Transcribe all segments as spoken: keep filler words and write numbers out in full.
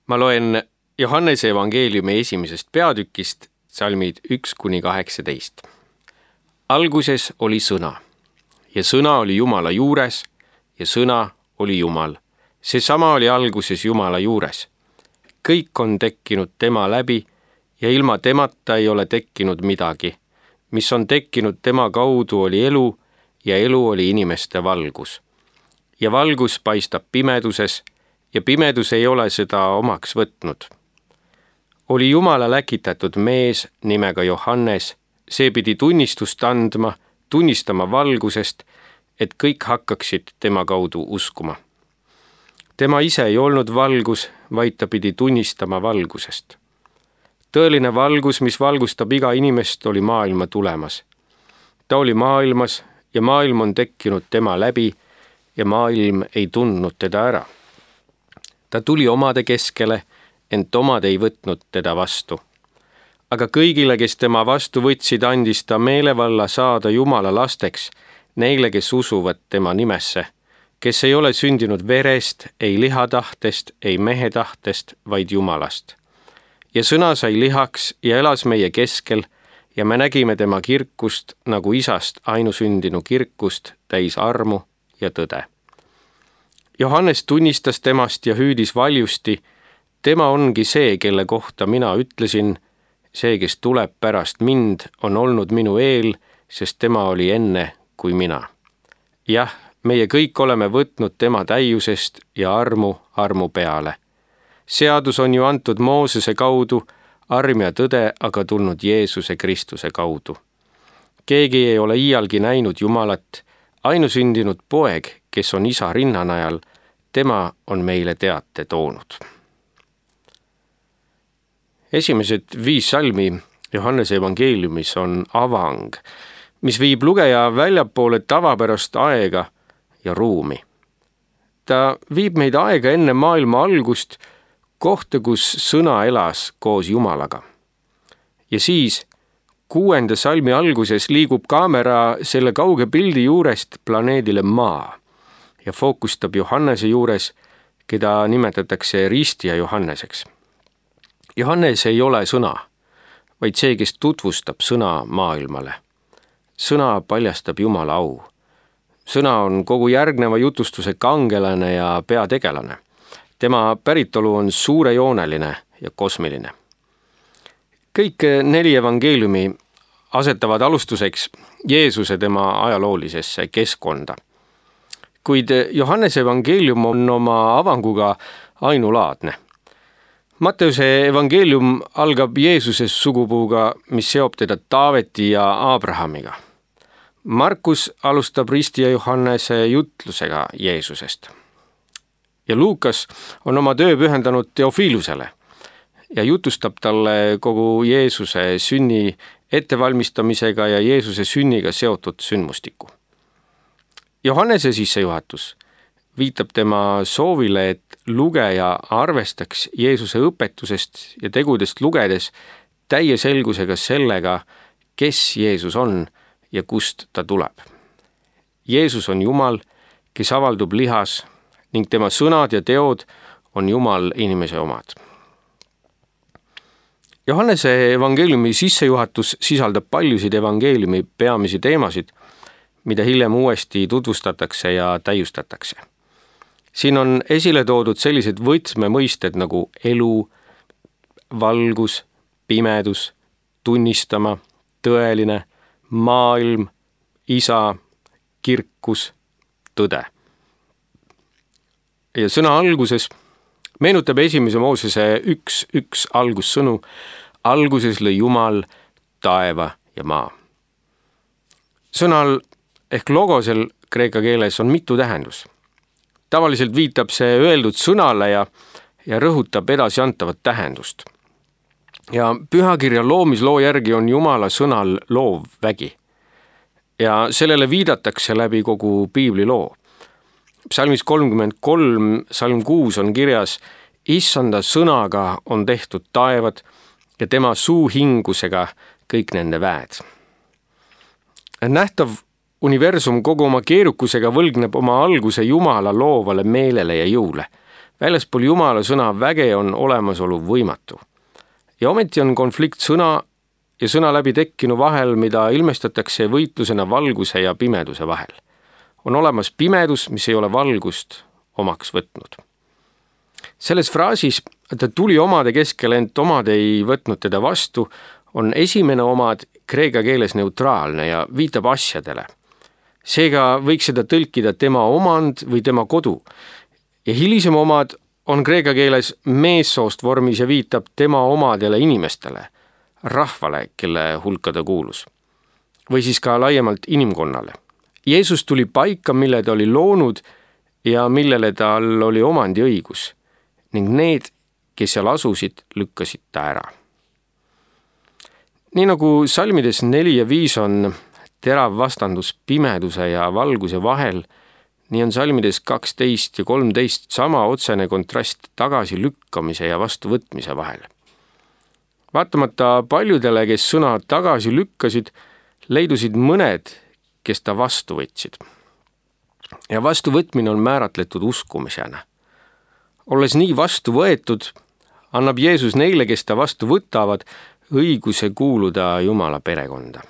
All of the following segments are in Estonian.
Ma loen Johannese evangeeliumi esimesest peatükist, salmid üks kuni kaheksateist. Alguses oli sõna ja sõna oli Jumala juures ja sõna oli Jumal. Seesama oli alguses Jumala juures. Kõik on tekkinud tema läbi ja ilma temata ei ole tekkinud midagi. Mis on tekkinud tema kaudu oli elu ja elu oli inimeste valgus. Ja valgus paistab pimeduses ja pimedus ei ole seda omaks võtnud. Oli Jumala läkitatud mees nimega Johannes, see pidi tunnistust andma, tunnistama valgusest, et kõik hakkaksid tema kaudu uskuma. Tema ise ei olnud valgus, vaid ta pidi tunnistama valgusest. Tõeline valgus, mis valgustab iga inimest, oli maailma tulemas. Ta oli maailmas ja maailm on tekkinud tema läbi ja maailm ei tundnud teda ära. Ta tuli omade keskele, ent omad ei võtnud teda vastu. Aga kõigile, kes tema vastu võtsid, andis ta meelevalla saada Jumala lasteks, neile, kes usuvad tema nimesse, kes ei ole sündinud verest, ei lihatahtest, ei mehe tahtest, vaid Jumalast. Ja sõna sai lihaks ja elas meie keskel ja me nägime tema kirkust nagu isast ainusündinu kirkust täis armu ja tõde. Johannes tunnistas temast ja hüüdis valjusti, tema ongi see, kelle kohta mina ütlesin, see, kes tuleb pärast mind, on olnud minu eel, sest tema oli enne kui mina. Jah, meie kõik oleme võtnud tema täiusest ja armu armu peale. Seadus on ju antud Moosese kaudu, arm ja tõde aga tulnud Jeesuse Kristuse kaudu. Keegi ei ole iialgi näinud Jumalat, ainusündinud poeg, kes on isa rinnanajal, tema on meile teate toonud. Esimesed viis salmi Johannese evangeeliumis on avang, mis viib lugeja väljapoole tavapärast aega ja ruumi. Ta viib meid aega enne maailma algust, kohta, kus sõna elas koos Jumalaga. Ja siis kuuenda salmi alguses liigub kaamera selle kauge pildi juurest planeedile Maa ja fookustab Johannese juures, keda nimetatakse ristija Johanneseks. Johannes ei ole sõna, vaid see, kes tutvustab sõna maailmale. Sõna paljastab Jumala au. Sõna on kogu järgneva jutustuse kangelane ja peategelane. Tema päritolu on suurejooneline ja kosmiline. Kõik neli evangeeliumi asetavad alustuseks Jeesuse tema ajaloolisesse keskkonda. Kuid Johannese evangeelium on oma avanguga ainulaadne. Matteuse evangeelium algab Jeesuse sugupuuga, mis seob teda Taaveti ja Abrahamiga. Markus alustab ristija Johannese jutlusega Jeesusest. Ja Luukas on oma töö pühendanud Teofilusele ja jutustab talle kogu Jeesuse sünni ettevalmistamisega ja Jeesuse sünniga seotud sündmustiku. Johannese sissejuhatus viitab tema soovile, et lugeja arvestaks Jeesuse õpetusest ja tegudest lugedes täie selgusega sellega, kes Jeesus on ja kust ta tuleb. Jeesus on Jumal, kes avaldub lihas, ning tema sõnad ja teod on Jumal inimese omad. Johannese evangeeliumi sissejuhatus sisaldab paljusid evangeeliumi peamisi teemasid, mida hiljem uuesti tutvustatakse ja täiustatakse. Siin on esile toodud sellised võtmemõisted nagu elu, valgus, pimedus, tunnistama, tõeline, maailm, isa, kirkus, tõde. Ja sõna alguses meenutab esimese Moosese üks, üks algussõnu, alguses lõi Jumal taeva ja maa. Sõnal ehk logosel kreeka keeles on mitu tähendus. Tavaliselt viitab see öeldud sõnale ja, ja rõhutab edasiantavat tähendust. Ja pühakirja loomisloo järgi on Jumala sõnal loov vägi. Ja sellele viidatakse läbi kogu piibli loo. Psalmis kolmkümmend kolm, salm kuus on kirjas, issanda sõnaga on tehtud taevad ja tema suu hingusega kõik nende väed. Nähtav universum kogu oma keerukusega võlgneb oma alguse Jumala loovale meelele ja jõule. väljaspool Jumala sõna väge on olemasolu võimatu. Ja ometi on konflikt sõna ja sõna läbi tekkinu vahel, mida ilmestatakse võitlusena valguse ja pimeduse vahel. On olemas pimedus, mis ei ole valgust omaks võtnud. Selles fraasis, ta tuli omade keskele, ent omad ei võtnud teda vastu, on esimene omad kreeka keeles neutraalne ja viitab asjadele. Seega võiks seda tõlkida tema omand või tema kodu. Ja hilisem omad on kreeka keeles meessoost vormis ja viitab tema omadele inimestele, rahvale, kelle hulka ta kuulus. Või siis ka laiemalt inimkonnale. Jeesus tuli paika, mille ta oli loonud ja millele tal oli omandiõigus ning need, kes seal asusid, lükkasid ta ära. Nii nagu salmides neli ja viis on terav vastandus pimeduse ja valguse vahel, nii on salmides kaksteist ja kolmteist sama otsene kontrast tagasi lükkamise ja vastuvõtmise vahel. Vaatamata paljudele, kes sõna tagasi lükkasid, leidusid mõned, kes ta vastu võtsid. Ja vastuvõtmine on määratletud uskumisena. Olles nii vastu võetud, annab Jeesus neile, kes ta vastu võtavad, õiguse kuuluda Jumala perekonda.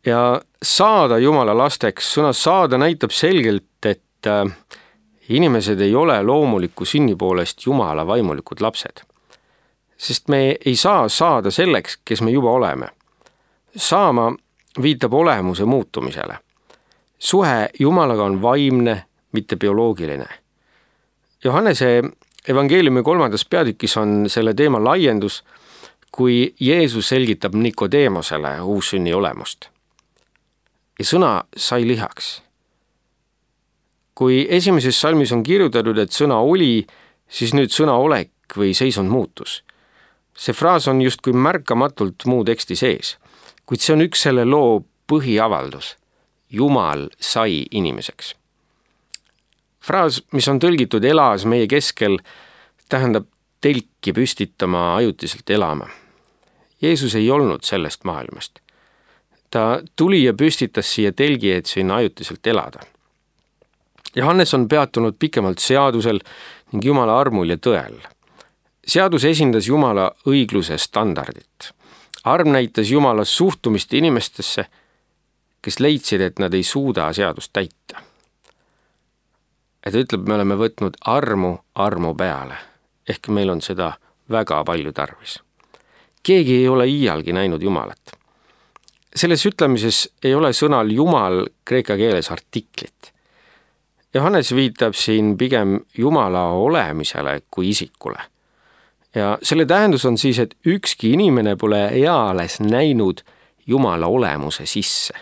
Ja saada Jumala lasteks, sõna saada näitab selgelt, et inimesed ei ole loomuliku sünni poolest Jumala vaimulikud lapsed. Sest me ei saa saada selleks, kes me juba oleme. Saama viitab olemuse muutumisele. Suhe Jumalaga on vaimne, mitte bioloogiline. Johannese evangeeliumi kolmandas peatükis on selle teema laiendus, kui Jeesus selgitab Nikodeemosele uussünni olemust. Ja sõna sai lihaks. Kui esimeses salmis on kirjutatud, et sõna oli, siis nüüd sõna olek või seisund muutus. See fraas on just kui märkamatult muu teksti sees, kuid see on üks selle loo põhiavaldus. Jumal sai inimeseks. Fraas, mis on tõlgitud elas meie keskel, tähendab telki püstitama ajutiselt elama. Jeesus ei olnud sellest maailmast. Ta tuli ja püstitas siia telgi, et sinna ajutiselt elada. Johannes on peatunud pikemalt seadusel ning Jumala armul ja tõel. Seadus esindas Jumala õigluse standardit. Arm näitas Jumala suhtumist inimestesse, kes leidsid, et nad ei suuda seadust täita. Et ütleb, me oleme võtnud armu armu peale, ehk meil on seda väga palju tarvis. Keegi ei ole iialgi näinud Jumalat. Selles ütlemises ei ole sõnal Jumal kreeka keeles artiklit. Johannes viitab siin pigem Jumala olemisele kui isikule. Ja selle tähendus on siis, et ükski inimene pole eales näinud Jumala olemuse sisse.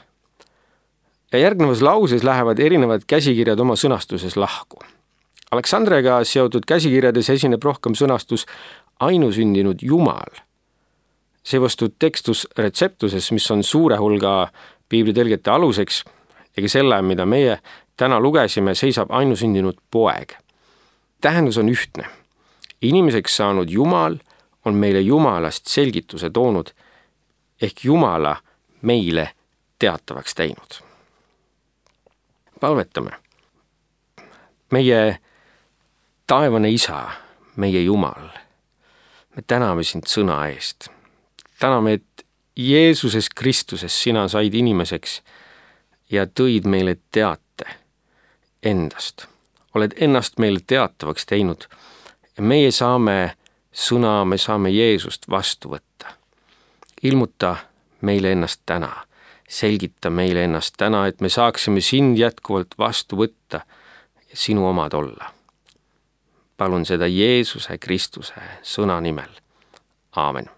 Ja järgnevas lauses lähevad erinevad käsikirjad oma sõnastuses lahku. Aleksandriaga seotud käsikirjades esineb rohkem sõnastus ainusündinud Jumal. Seevastu tekstus retseptuses, mis on suure hulga piiblitõlgete aluseks, ega selle, mida meie täna lugesime, seisab ainusündinud poeg. Tähendus on ühtne. Inimeseks saanud Jumal on meile Jumalast selgituse toonud, ehk Jumala meile teatavaks teinud. Palvetame. Meie taevane Isa, meie Jumal, me täname sind sõna eest. Täname, et Jeesuses Kristuses sina said inimeseks ja tõid meile teate endast. Oled ennast meile teatavaks teinud ja meie saame sõna, me saame Jeesust vastu võtta. Ilmuta meile ennast täna. Selgita meile ennast täna, et me saaksime sind jätkuvalt vastu võtta ja sinu omad olla. Palun seda Jeesuse Kristuse sõna nimel. Aamen.